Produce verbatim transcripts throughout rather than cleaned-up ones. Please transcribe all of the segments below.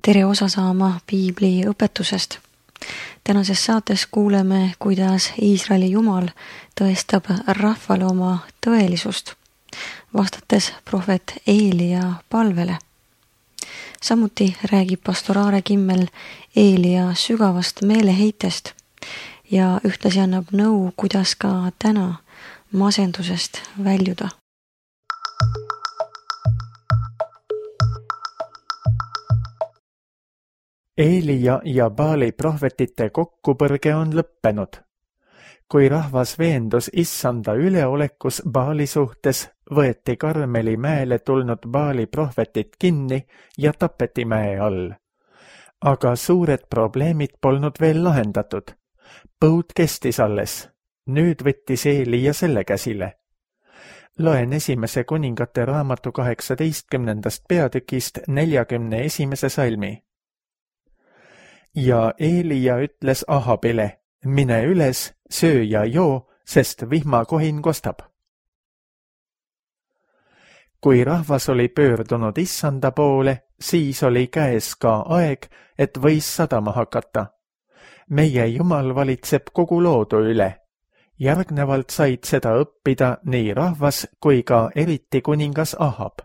tere osa saama piibli õpetusest. Tänases saates kuuleme, kuidas Iisraeli Jumal tõestab rahvale oma tõelisust, vastates prohvet Eelia palvele. Samuti räägib pastor Aare Kimmel Eelia sügavast meeleheitest ja ühtlasi annab nõu, kuidas ka täna masendusest väljuda. Eelia ja Baali prohvetite kokkupõrge on lõppenud. Kui rahvas veendus issanda üleolekus Baali suhtes, võeti Karmeli mäele tulnud Baali prohvetit kinni ja tapeti mäe all. Aga suured probleemid polnud veel lahendatud. Põud kestis alles. Nüüd võttis Eelia selle käsile. Loen esimese kuningate raamatu kaheksateistkümnendast peatükist neljakümne esimese salmi. Ja Eelia ütles Ahabile, mine üles, söö ja joo, sest vihmakohin kostab. Kui rahvas oli pöördunud issanda poole, siis oli käes ka aeg, et võis sadama hakata. Meie Jumal valitseb kogu loodu üle. Järgnevalt said seda õppida nii rahvas kui ka eriti kuningas Ahab.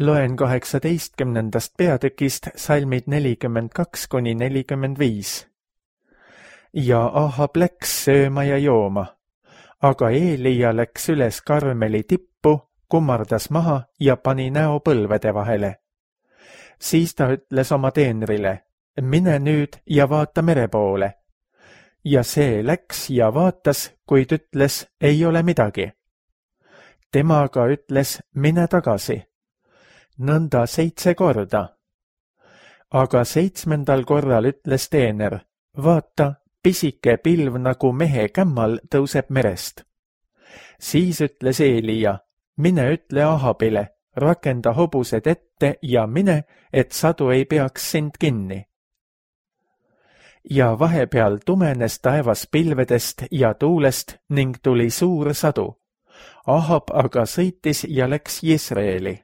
Loen kaheksateistkümnendast peatükist salmid nelikümmend kaks kuni nelikümmend viis. Ja Ahab läks sööma ja jooma, aga Eelia läks üles Karmeli tippu, kummardas maha ja pani näo põlvede vahele. Siis ta ütles oma teenrile, mine nüüd ja vaata mere poole. Ja see läks ja vaatas, kuid ütles, ei ole midagi. Tema aga ütles, mine tagasi. Nõnda seitse korda. Aga seitsmendal korral ütles teener, vaata, pisike pilv nagu mehe kämmal tõuseb merest. Siis ütles Eelia, mine ütle Ahabile, rakenda hobused ette ja mine, et sadu ei peaks sind kinni. Ja vahepeal tumenes taevas pilvedest ja tuulest ning tuli suur sadu. Ahab aga sõitis ja läks Jisraeli.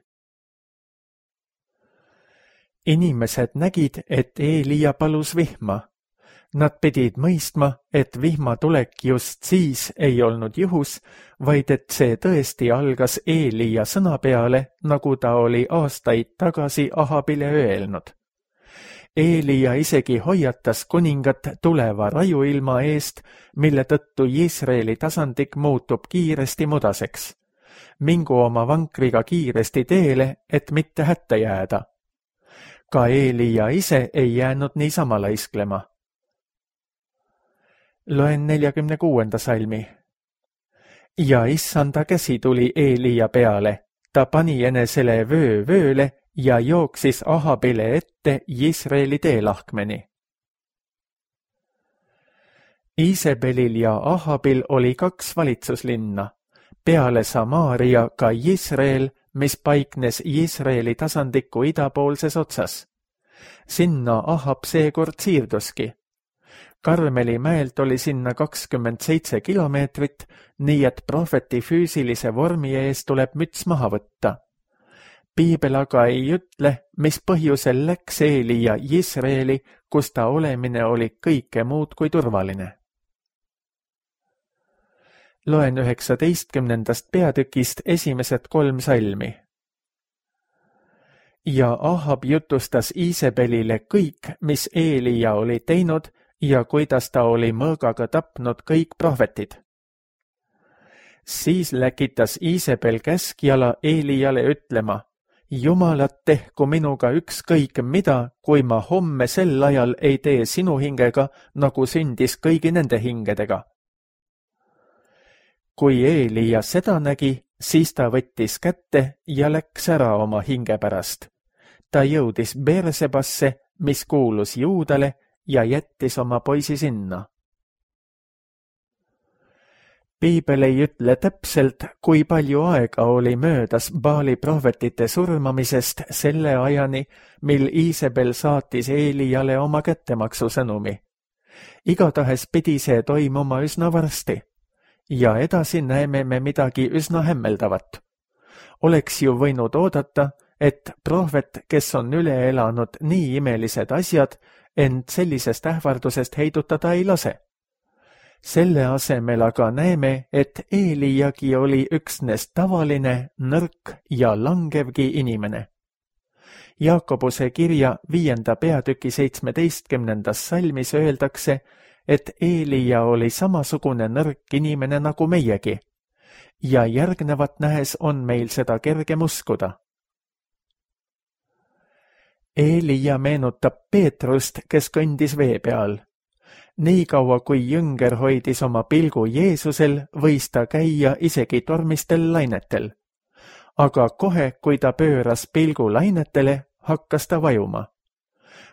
Inimesed nägid, et Eelia palus vihma. Nad pidid mõistma, et vihma tulek just siis ei olnud juhus, vaid et see tõesti algas Eelia sõna peale, nagu ta oli aastaid tagasi Ahabile öelnud. Eelia isegi hoiatas kuningat tuleva rajuilma eest, mille tõttu Jisraeli tasandik muutub kiiresti mudaseks. Mingu oma vankriga kiiresti teele, et mitte hätta jääda. Ka Eelia ise ei jäänud niisama laisklema. Loen neljakümne kuuenda salmi. Ja issanda käsi tuli Eelia peale, ta pani enesele vöö vööle ja jooksis Ahabile ette Jisraeli teelahkmeni. Iisebelil ja Ahabil oli kaks valitsuslinna, peale Samaaria ka Jisrael, mis paiknes Jisraeli tasandiku idapoolses otsas. Sinna Ahab seekord siirduski. Karmeli mäelt oli sinna kakskümmend seitse kilomeetrit, nii et prohveti füüsilise vormi ees tuleb müts maha võtta. Piibel aga ei ütle, mis põhjusel läks Eelia Jisraeli, kus ta olemine oli kõike muud kui turvaline. Loen üheksateistkümnendast peatükist esimesed kolm salmi. Ja Ahab jutustas Iisebelile kõik, mis Eelia oli teinud ja kuidas ta oli mõõgaga tapnud kõik prohvetid. Siis läkitas Iisebel käskjala Eeliale ütlema, Jumalat tehku minuga ükskõik mida, kui ma homme sel ajal ei tee sinu hingega, nagu sündis kõigi nende hingedega. Kui Eelia seda nägi, siis ta võttis kätte ja läks ära oma hinge pärast. Ta jõudis Beersebasse, mis kuulus Juudale, ja jättis oma poisi sinna. Piibel ei ütle täpselt, kui palju aega oli möödas Baali prohvetite surmamisest selle ajani, mil Iisebel saatis Eeliale oma kättemaksu sõnumi. Igatahes pidi see toimuma üsna varsti. Ja edasi näeme me midagi üsna hämmeldavat. Oleks ju võinud oodata, et prohvet, kes on üle elanud nii imelised asjad, ent sellisest ähvardusest heidutada ei lase. Selle asemel aga näeme, et Eeliagi oli üksnes tavaline, nõrk ja langevgi inimene. Jaakobuse kirja viienda peatüki seitsmeteistkümnendas salmis öeldakse, et Eelia oli samasugune nõrk inimene nagu meiegi, ja järgnevat nähes on meil seda kergem uskuda. Eelia meenutab Peetrust, kes kõndis vee peal. Nii kaua, kui jünger hoidis oma pilgu Jeesusel, võis ta käia isegi tormistel lainetel. Aga kohe, kui ta pööras pilgu lainetele, hakkas ta vajuma.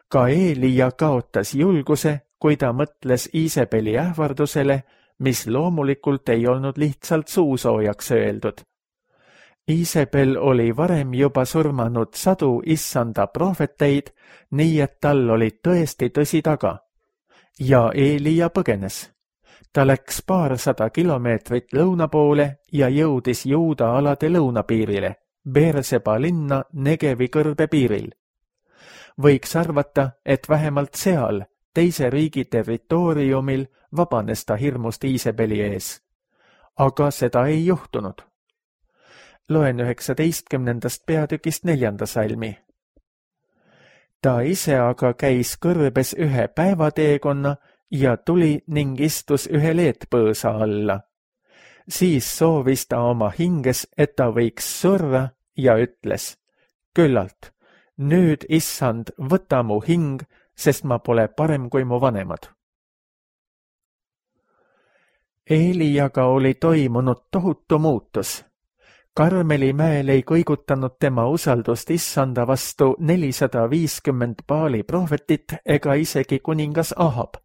Ka Eelia kaotas julguse, kui ta mõtles Iisebeli ähvardusele, mis loomulikult ei olnud lihtsalt suusoojaks öeldud. Iisebel oli varem juba surmanud sadu issanda prohveteid, nii et tal oli tõesti tõsi taga. Ja Eelia põgenes. Ta läks paarsada kilomeetrit lõuna poole ja jõudis Juuda alade lõunapiirile, Beerseba linna Negevi kõrbe piiril. Võiks arvata, et vähemalt seal, teise riigi territooriumil, vabanes ta hirmust Iisebeli ees. Aga seda ei juhtunud. Loen üheksateistkümnendast peatükist neljanda salmi. Ta ise aga käis kõrbes ühe päevateekonna ja tuli ning istus ühe leetpõõsa alla. Siis soovis ta oma hinges, et ta võiks surra ja ütles, küllalt, nüüd, issand, võta mu hing, sest ma pole parem kui mu vanemad. Eeliaga oli toimunud tohutu muutus. Karmeli mäel ei kõigutanud tema usaldust issanda vastu nelisada viiskümmend Baali prohvetit ega isegi kuningas Ahab.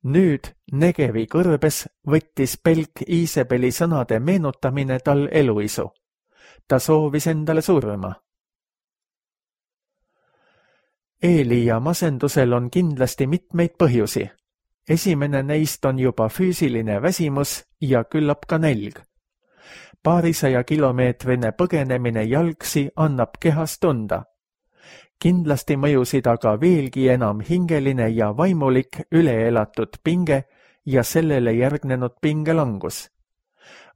Nüüd Negevi kõrbes võttis pelk Iisebeli sõnade meenutamine tal eluisu. Ta soovis endale surma. Eelia masendusel on kindlasti mitmeid põhjusi. Esimene neist on juba füüsiline väsimus ja küllap ka nälg. Paarisaja kilomeetrine põgenemine jalgsi annab kehas tunda. Kindlasti mõjusid aga veelgi enam hingeline ja vaimulik üleelatud pinge ja sellele järgnenud pingelangus.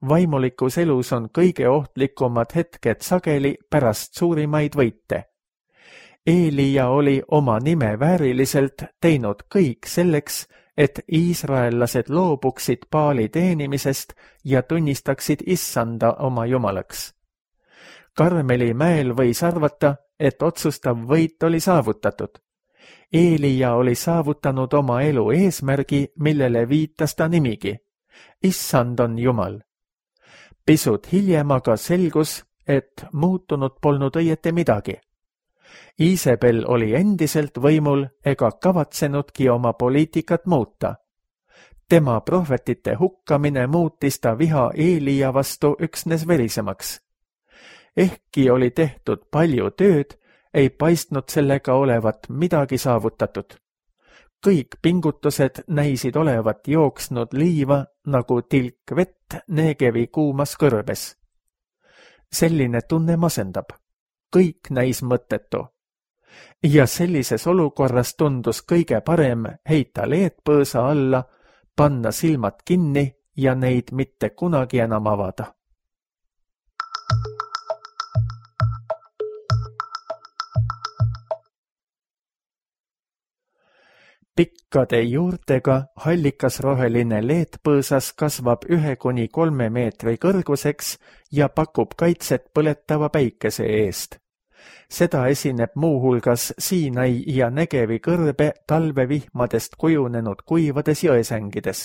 Vaimulikus elus on kõige ohtlikumad hetked sageli pärast suurimaid võite. Eelia oli oma nime vääriliselt teinud kõik selleks, et iisraellased loobuksid Baali teenimisest ja tunnistaksid issanda oma jumalaks. Karmeli mäel võis arvata, et otsustav võit oli saavutatud. Eelia oli saavutanud oma elu eesmärgi, millele viitas ta nimigi. Issand on Jumal. Pisut hiljem aga selgus, et muutunud polnud õieti midagi. Iisebel oli endiselt võimul ega kavatsenudki oma poliitikat muuta. Tema prohvetite hukkamine muutis ta viha Eelia vastu üksnes verisemaks. Ehkki oli tehtud palju tööd, ei paistnud sellega olevat midagi saavutatud. Kõik pingutused näisid olevat jooksnud liiva nagu tilk vett Negevi kuumas kõrbes. Selline tunne masendab. Kõik näis mõttetu. Ja sellises olukorras tundus kõige parem heita leetpõõsa alla, panna silmad kinni ja neid mitte kunagi enam avada. Pikkade juurtega hallikasroheline leetpõõsas kasvab ühe kuni kolme meetri kõrguseks ja pakub kaitset põletava päikese eest. Seda esineb muuhulgas Siinai ja Negevi kõrbe talvevihmadest kujunenud kuivades jõesängides.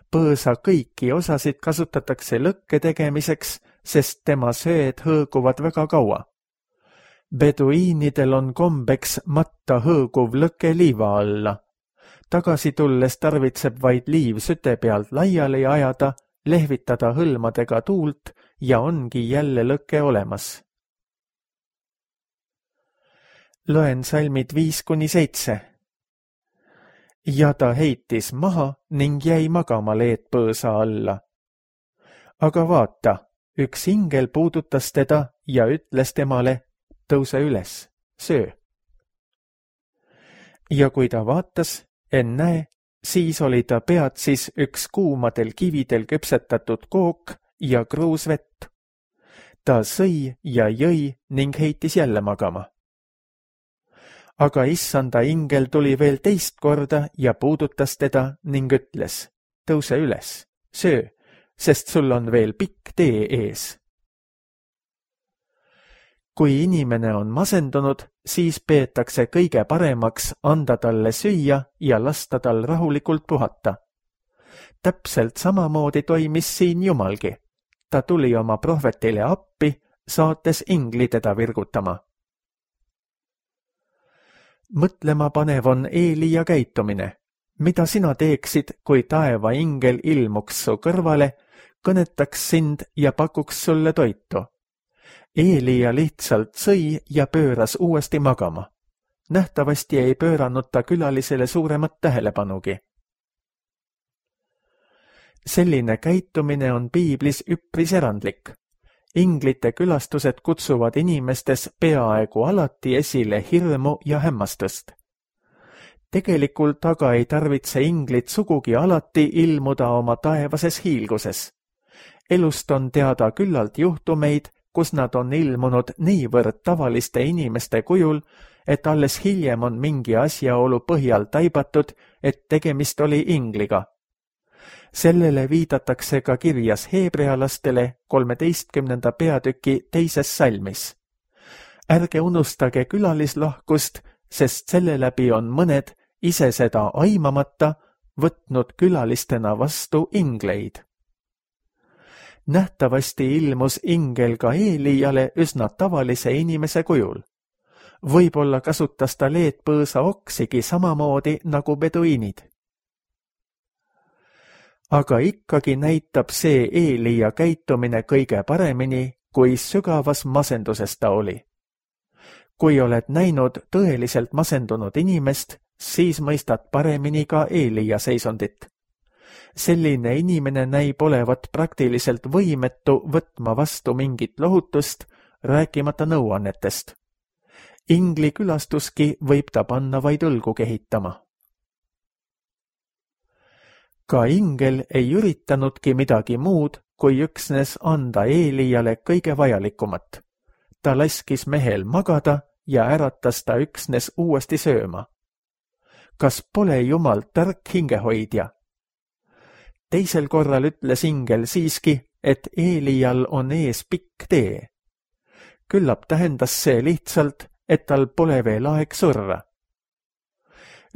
Põõsa kõiki osasid kasutatakse lõkke tegemiseks, sest tema söed hõõguvad väga kaua. Beduiinidel on kombeks matta hõõguv lõke liiva alla. Tagasi tulles tarvitseb vaid liiv süte pealt laiali ajada, lehvitada hõlmadega tuult ja ongi jälle lõke olemas. Loen salmid viis kuni seitse. Ja ta heitis maha ning jäi magama leetpõõsa alla. Aga vaata, üks ingel puudutas teda ja ütles temale, tõuse üles, söö. Ja kui ta vaatas, ennäe, siis oli ta peatsis üks kuumadel kividel küpsetatud kook ja kruus vett. Ta sõi ja jõi ning heitis jälle magama. Aga issanda ingel tuli veel teist korda ja puudutas teda ning ütles, tõuse üles, söö, sest sul on veel pikk tee ees. Kui inimene on masendunud, siis peetakse kõige paremaks anda talle süüa ja lasta tal rahulikult puhata. Täpselt samamoodi toimis siin Jumalgi. Ta tuli oma prohvetile appi, saates ingli teda virgutama. Mõtlema panev on Eelia käitumine. Mida sina teeksid, kui taeva ingel ilmuks su kõrvale, kõnetaks sind ja pakuks sulle toitu? Eelia lihtsalt sõi ja pööras uuesti magama. Nähtavasti ei pööranud ta külalisele suuremat tähelepanugi. Selline käitumine on piiblis üpris erandlik. Inglite külastused kutsuvad inimestes peaaegu alati esile hirmu ja hämmastust. Tegelikult aga ei tarvitse inglid sugugi alati ilmuda oma taevases hiilguses. Elust on teada küllalt juhtumeid, kus nad on ilmunud niivõrd tavaliste inimeste kujul, et alles hiljem on mingi asjaolu põhjal taibatud, et tegemist oli ingliga. Sellele viidatakse ka kirjas heebrealastele kolmeteistkümnenda peatüki teises salmis. Ärge unustage külalislahkust, sest selle läbi on mõned, ise seda aimamata, võtnud külalistena vastu ingleid. Nähtavasti ilmus ingel ka Eeliale üsna tavalise inimese kujul. Võib-olla kasutas ta leedpõõsa oksigi samamoodi nagu beduiinid. Aga ikkagi näitab see Eelia käitumine kõige paremini, kui sügavas masenduses ta oli. Kui oled näinud tõeliselt masendunud inimest, siis mõistad paremini ka Eelia seisundit. Selline inimene näib olevat praktiliselt võimetu võtma vastu mingit lohutust, rääkimata nõuannetest. Ingli külastuski võib ta panna vaid õlgu kehitama. Ka ingel ei üritanudki midagi muud, kui üksnes anda Eeliale kõige vajalikumat. Ta laskis mehel magada ja äratas ta üksnes uuesti sööma. Kas pole Jumal tark hingehoidja? Teisel korral ütles ingel siiski, et Eelial on ees pikk tee. Küllap tähendas see lihtsalt, et tal pole veel aeg surra.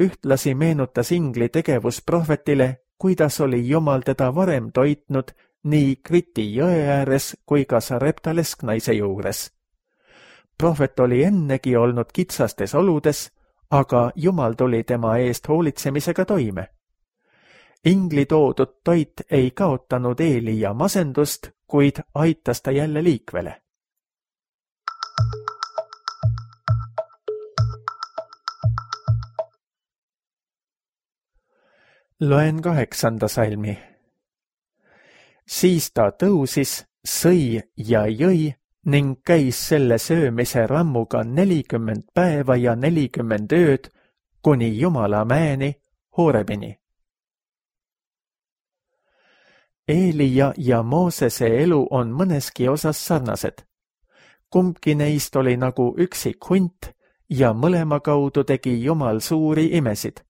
Ühtlasi meenutas ingli tegevus prohvetile, kuidas oli Jumal teda varem toitnud nii Kriti jõe ääres kui ka Sarepta lesknaise juures. Prohvet oli ennegi olnud kitsastes oludes, aga Jumal tuli tema eest hoolitsemisega toime. Ingli toodud toit ei kaotanud Eelia masendust, kuid aitas ta jälle liikvele. Loen kaheksanda salmi. Siis ta tõusis, sõi ja jõi ning käis selle söömise rammuga nelikümmend päeva ja nelikümmend ööd kuni Jumala mäeni Horebini. Eelia ja Moosese elu on mõneski osas sarnased. Kumbki neist oli nagu üksik hunt ja mõlema kaudu tegi Jumal suuri imesid.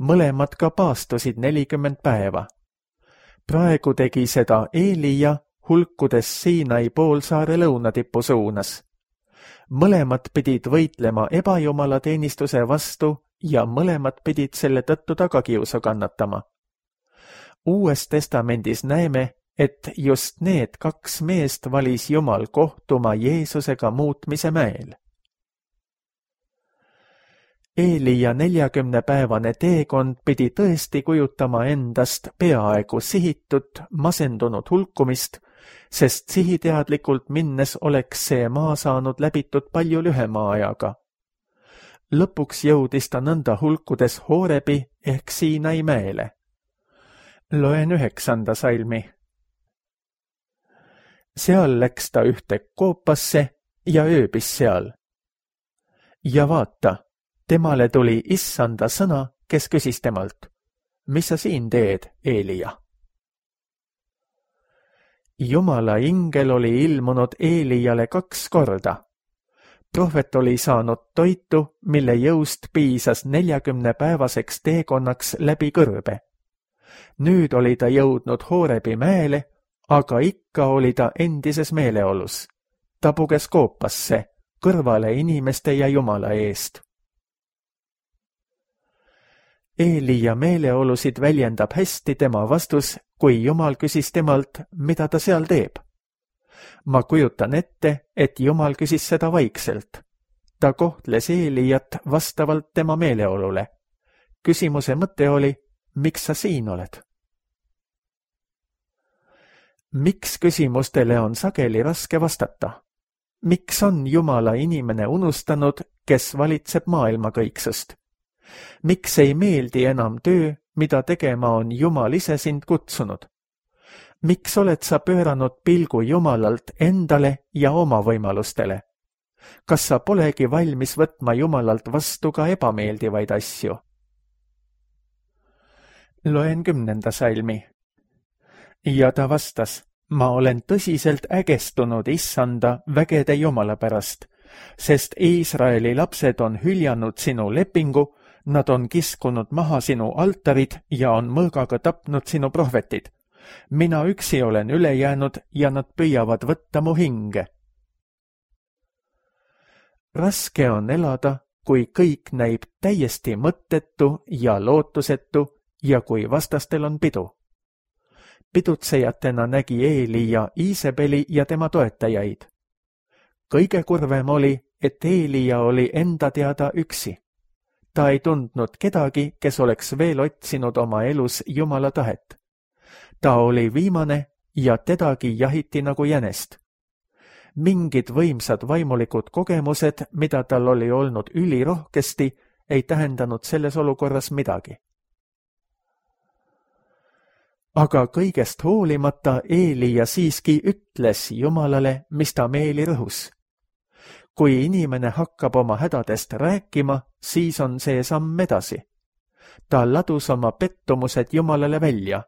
Mõlemad ka paastusid nelikümmend päeva. Praegu tegi seda Eelia hulkudes Siinai poolsaare lõunatipu suunas. Mõlemad pidid võitlema ebajumala teenistuse vastu ja mõlemad pidid selle tõttu tagakiusu kannatama. Uues testamendis näeme, et just need kaks meest valis Jumal kohtuma Jeesusega muutmise mäel. Eelia neljakümnepäevane teekond pidi tõesti kujutama endast peaaegu sihitut, masendunud hulkumist, sest sihiteadlikult minnes oleks see maa saanud läbitud palju lühema ajaga. Lõpuks jõudis ta nõnda hulkudes Horebi ehk Siinai mäele. Loen üheksanda salmi. Seal läks ta ühte koopasse ja ööbis seal. ja vaata, temale tuli issanda sõna, kes küsis temalt, mis sa siin teed, Eelia? Jumala ingel oli ilmunud Eeliale kaks korda. Prohvet oli saanud toitu, mille jõust piisas neljakümne päevaseks teekonnaks läbi kõrbe. Nüüd oli ta jõudnud Hoorebi mäele, aga ikka oli ta endises meeleolus. Ta puges koopasse, kõrvale inimeste ja Jumala eest. Eelia meeleolusid väljendab hästi tema vastus, kui Jumal küsis temalt, mida ta seal teeb. Ma kujutan ette, et Jumal küsis seda vaikselt. Ta kohtles Eeliat vastavalt tema meeleolule. Küsimuse mõte oli, miks sa siin oled? Miks küsimustele on sageli raske vastata? Miks on Jumala inimene unustanud, kes valitseb maailma kõiksust? Miks ei meeldi enam töö, mida tegema on Jumal ise sind kutsunud? Miks oled sa pööranud pilgu Jumalalt endale ja oma võimalustele? Kas sa polegi valmis võtma Jumalalt vastu ka ebameeldivaid asju? Loen kümnenda salmi. Ja ta vastas, ma olen tõsiselt ägestunud issanda vägede Jumala pärast, sest Iisraeli lapsed on hüljanud sinu lepingu, nad on kiskunud maha sinu altarid ja on mõõgaga tapnud sinu prohvetid. Mina üksi olen üle jäänud ja nad püüavad võtta mu hinge. Raske on elada, kui kõik näib täiesti mõttetu ja lootusetu ja kui vastastel on pidu. Pidutsejatena nägi Eelia Iisebeli ja tema toetajaid. Kõige kurvem oli, et Eelia oli enda teada üksi. Ta ei tundnud kedagi, kes oleks veel otsinud oma elus Jumala tahet. Ta oli viimane ja tedagi jahiti nagu jänest. Mingid võimsad vaimulikud kogemused, mida tal oli olnud ülirohkesti, ei tähendanud selles olukorras midagi. Aga kõigest hoolimata Eelia siiski ütles Jumalale, mis ta meeli rõhus. Kui inimene hakkab oma hädadest rääkima, siis on see samm edasi. Ta ladus oma pettumused Jumalale välja.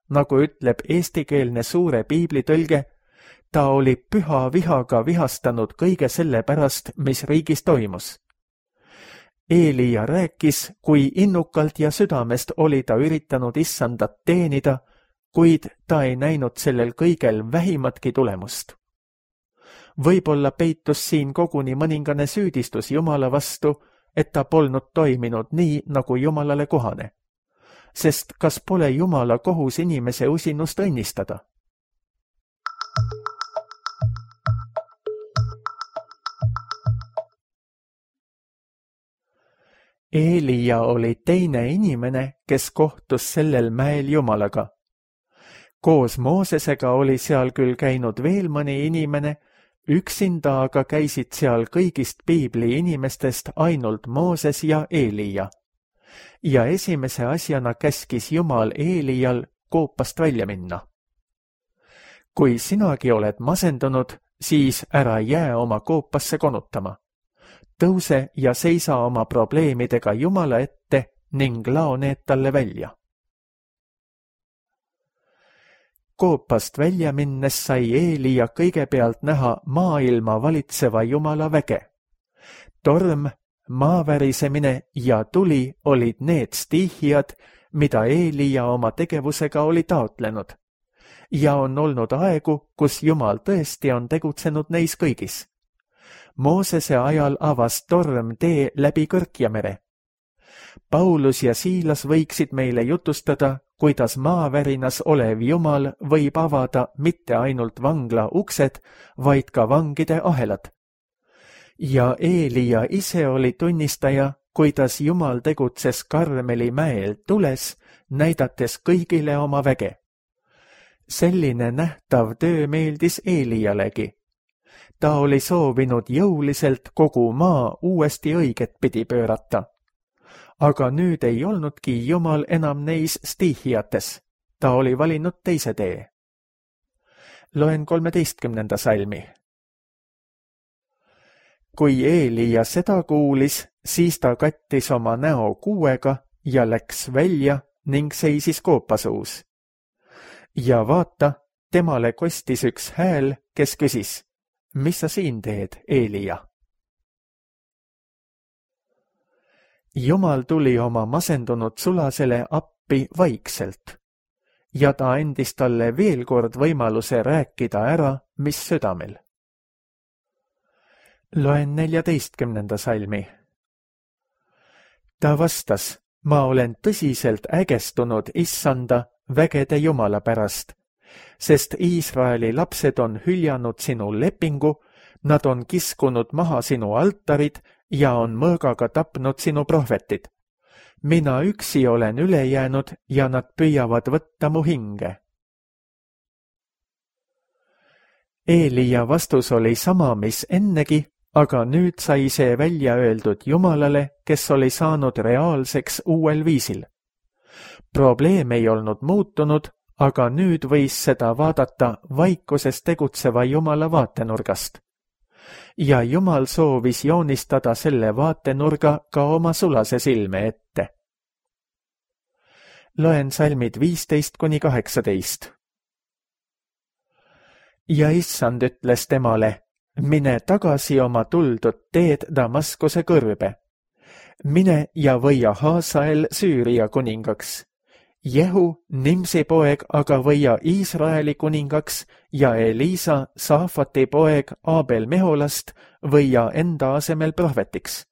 Nagu ütleb eestikeelne suure piiblitõlge, ta oli püha vihaga vihastanud kõige selle pärast, mis riigis toimus. Eelia rääkis, kui innukalt ja südamest oli ta üritanud issandat teenida, kuid ta ei näinud sellel kõigel vähimatki tulemust. Võib-olla peitus siin koguni mõningane süüdistus Jumala vastu, et ta polnud toiminud nii, nagu Jumalale kohane. Sest kas pole Jumala kohus inimese usinust õnnistada? Eelia oli teine inimene, kes kohtus sellel mäel Jumalaga. Koos Moosesega oli seal küll käinud veel mõni inimene, üksinda aga käisid seal kõigist piibli inimestest ainult Mooses ja Eelia. Ja esimese asjana käskis Jumal Eelial koopast välja minna. Kui sinagi oled masendunud, siis ära jää oma koopasse konutama. Tõuse ja seisa oma probleemidega Jumala ette ning lao need talle välja. Koopast välja minnes sai Eelia kõigepealt näha maailma valitseva Jumala väge. Torm, maavärisemine ja tuli olid need stiihijad, mida Eelia oma tegevusega oli taotlenud. Ja on olnud aegu, kus Jumal tõesti on tegutsenud neis kõigis. Moosese ajal avas torm tee läbi Kõrkjamere. Paulus ja Siilas võiksid meile jutustada, kuidas maavärinas olev Jumal võib avada mitte ainult vangla uksed, vaid ka vangide ahelad. Ja Eelia ise oli tunnistaja, kuidas Jumal tegutses Karmeli mäel tules, näidates kõigile oma väge. Selline nähtav töö meeldis Eelialegi. Ta oli soovinud jõuliselt kogu maa uuesti õiget pidi pöörata. Aga nüüd ei olnudki Jumal enam neis stiihijates. Ta oli valinud teise tee. Loen kolmeteistkümnenda salmi. kui Eelia seda kuulis, siis ta kattis oma näo kuuega ja läks välja ning seisis koopasuus. Ja vaata, temale kostis üks hääl, kes küsis, mis sa siin teed, Eelia? Jumal tuli oma masendunud sulasele appi vaikselt ja ta andis talle veel kord võimaluse rääkida ära, mis südamel. Loen neljateistkümnenda salmi. Ta vastas, ma olen tõsiselt ägestunud issanda vägede Jumala pärast, sest Iisraeli lapsed on hüljanud sinu lepingu, nad on kiskunud maha sinu altarid ja on mõõgaga tapnud sinu prohvetid. Mina üksi olen üle jäänud ja nad püüavad võtta mu hinge. Eelia vastus oli sama, mis ennegi, aga nüüd sai see välja öeldud Jumalale, kes oli saanud reaalseks uuel viisil. Probleem ei olnud muutunud, aga nüüd võis seda vaadata vaikuses tegutseva Jumala vaatenurgast. Ja Jumal soovis joonistada selle vaatenurga ka oma sulase silme ette. Loen salmid viisteist kuni kaheksateist. Ja issand ütles temale, mine tagasi oma tuldud teed Damaskuse kõrbe. Mine ja võia Haasael Süüria kuningaks. Jehu, Nimsi poeg, aga võia Iisraeli kuningaks ja Elisa, Saafati poeg Abel Meholast, võia enda asemel prohvetiks.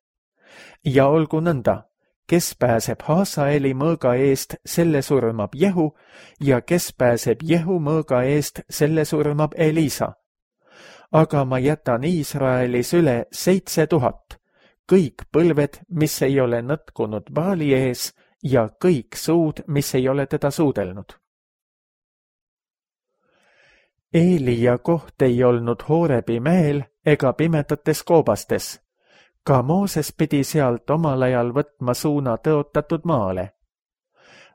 Ja olgu nõnda, kes pääseb Haasaeli mõõga eest, selle surmab Jehu, ja kes pääseb Jehu mõõga eest, selle surmab Elisa. Aga ma jätan Iisraelis üle seitse tuhat, kõik põlved, mis ei ole nõtkunud Baali ees, ja kõik suud, mis ei ole teda suudelnud. Eelia koht ei olnud Hoorebi mäel ega pimedates koobastes. Ka Mooses pidi sealt omal ajal võtma suuna tõotatud maale.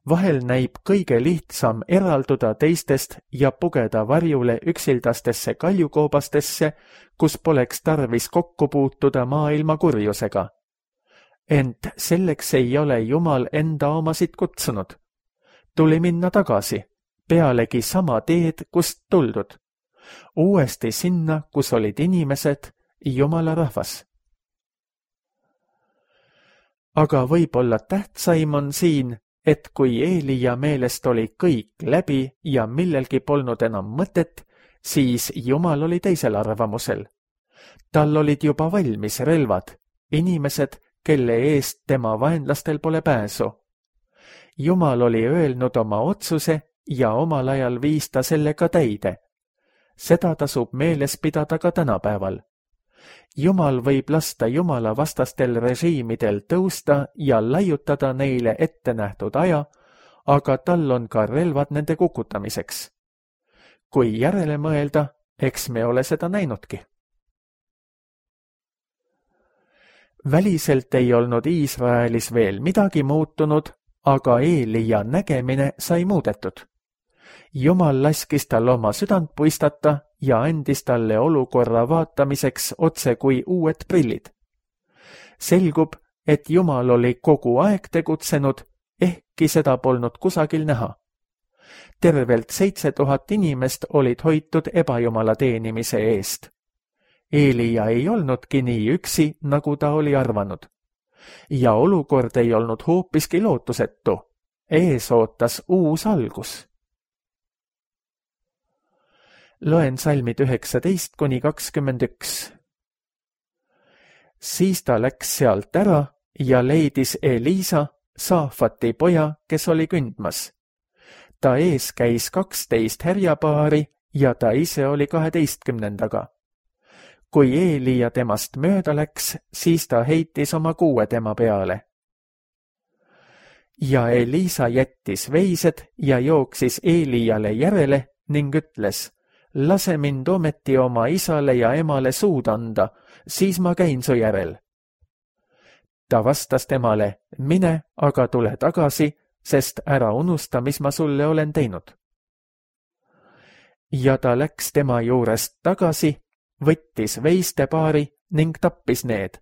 Vahel näib kõige lihtsam eralduda teistest ja pugeda varjule üksildastesse kaljukoobastesse, kus poleks tarvis kokku puutuda maailma kurjusega. Ent selleks ei ole Jumal enda omasid kutsunud. Tuli minna tagasi, pealegi sama teed, kust tuldud. Uuesti sinna, kus olid inimesed, Jumala rahvas. Aga võib-olla tähtsaim on siin, et kui Eelia meelest oli kõik läbi ja millelgi polnud enam mõtet, siis Jumal oli teisel arvamusel. Tal olid juba valmis relvad, inimesed, kelle eest tema vaenlastel pole pääsu. Jumal oli öelnud oma otsuse ja omal ajal viis ta selle ka täide. Seda tasub meeles pidada ka tänapäeval. Jumal võib lasta Jumala vastastel režiimidel tõusta ja laiutada neile ette nähtud aja, aga tal on ka relvad nende kukutamiseks. Kui järele mõelda, eks me ole seda näinudki. Väliselt ei olnud Iisraelis veel midagi muutunud, aga Eelia nägemine sai muudetud. Jumal laskis tal oma südant puistata ja andis talle olukorra vaatamiseks otse kui uued prillid. Selgub, et Jumal oli kogu aeg tegutsenud, ehkki seda polnud kusagil näha. Tervelt seitse tuhat inimest olid hoitud ebajumala teenimise eest. Eelia ei olnudki nii üksi, nagu ta oli arvanud. Ja olukord ei olnud hoopiski lootusetu. Ees ootas uus algus. Loen salmid üheksateist kuni kakskümmend üks. Siis ta läks sealt ära ja leidis Elisa, Saafati poja, kes oli kündmas. Ta ees käis kaksteist härjapaari ja ta ise oli kaheteistkümnendaga. Kui Eelia temast mööda läks, siis ta heitis oma kuue tema peale. Ja Elisa jättis veised ja jooksis Eeliale järele ning ütles, lase mind ometi oma isale ja emale suud anda, siis ma käin su järel. Ta vastas temale, mine, aga tule tagasi, sest ära unusta, mis ma sulle olen teinud. Ja ta läks tema juurest tagasi, võttis veistepaari ning tappis need.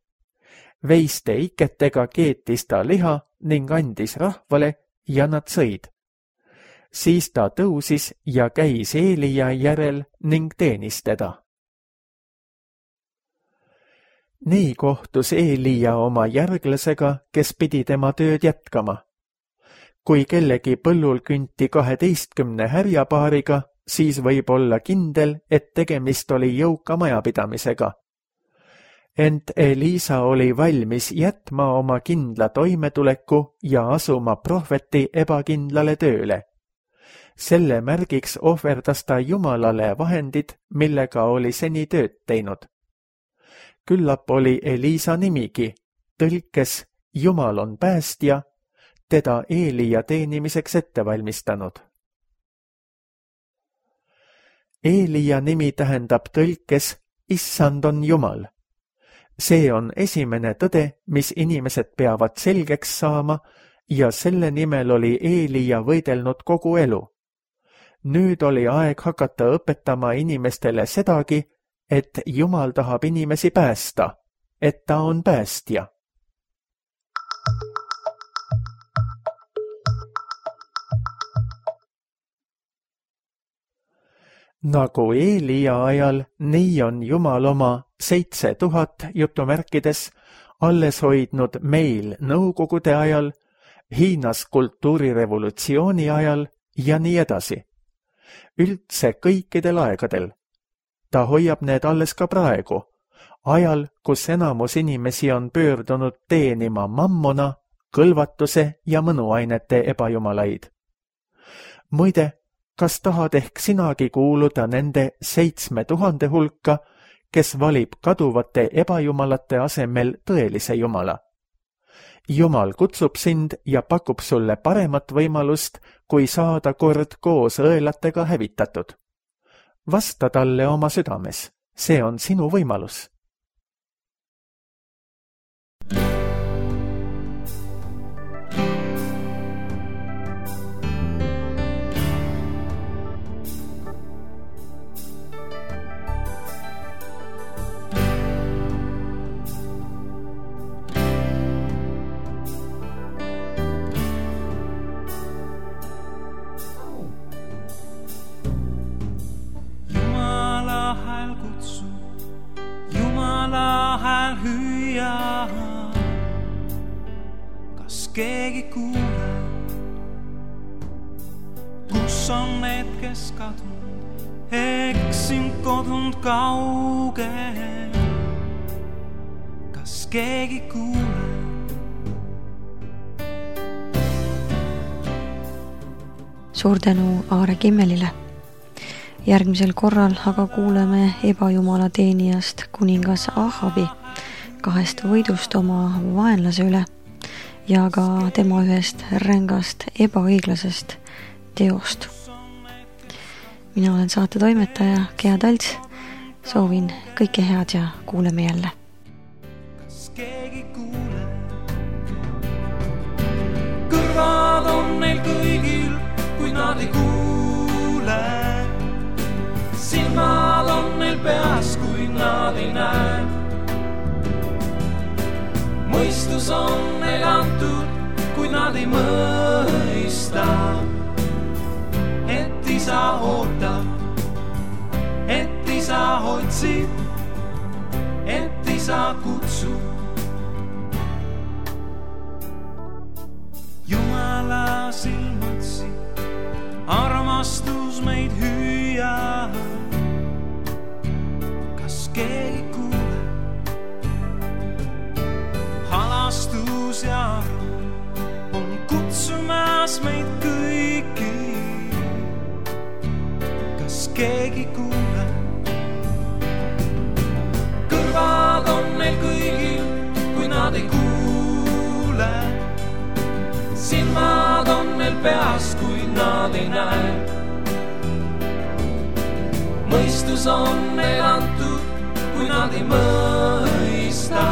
Veiste iketega keetis ta liha ning andis rahvale ja nad sõid. Siis ta tõusis ja käis Eelia järel ning teenis teda. Nii kohtus Eelia oma järglasega, kes pidi tema tööd jätkama. Kui kellegi põllul künti kaheteistkümne härjapaariga, siis võib olla kindel, et tegemist oli jõuka majapidamisega. Ent Elisa oli valmis jätma oma kindla toimetuleku ja asuma prohveti ebakindlale tööle. Selle märgiks ohverdas ta Jumalale vahendid, millega oli seni tööd teinud. Küllap oli Elisa nimigi, tõlkes Jumal on päästja, teda Eelia teenimiseks ette valmistanud. Eelia nimi tähendab tõlkes Issand on Jumal. See on esimene tõde, mis inimesed peavad selgeks saama ja selle nimel oli Eelia võidelnud kogu elu. Nüüd oli aeg hakata õpetama inimestele sedagi, et Jumal tahab inimesi päästa, et ta on päästja. Nagu Eelia ajal, nii on Jumal oma seitse tuhat jutumärkides alles hoidnud meil nõukogude ajal, Hiinas kultuurirevolutsiooni ajal ja nii edasi. Üldse kõikidel aegadel. Ta hoiab need alles ka praegu, ajal, kus enamus inimesi on pöördunud teenima mammona, kõlvatuse ja mõnuainete ebajumalaid. Muide, kas tahad ehk sinagi kuuluda nende seitsme tuhande hulka, kes valib kaduvate ebajumalate asemel tõelise Jumala? Jumal kutsub sind ja pakub sulle paremat võimalust, kui saada kord koos õelatega hävitatud. Vasta talle oma südames, see on sinu võimalus. Hüüa, kas keegi kuule, kus on need, kes kadunud, eksin kodunud kaugel, kas keegi kuule. Suur tänu Aare Kimmelile. Järgmisel korral aga kuuleme ebajumala teenijast kuningas Ahabi kahest võidust oma vaenlase üle ja ka tema ühest rängast ebaõiglasest teost. Mina olen saate toimetaja Gea Talts, soovin kõike head ja kuuleme jälle. Kas keegi kuule? Kõrvad on neil kõigil, kui nad ei kuule. Silmad on neil peas, kui nad ei näe. Mõistus on neil antud, kui nad ei mõista. Et isa ootab, et isa otsib, et isa kutsub. Jumala silmatsi, armastus meid hüüa. Kas keegi kuule? Halastus ja arm on kutsumas meid kõiki. Kas keegi kuule? Kõrvad on neil kõigil, kui nad ei kuule. Silmad on neil peas, kui nad ei näe. Mõistus on neil antud, kui nad ei mõista.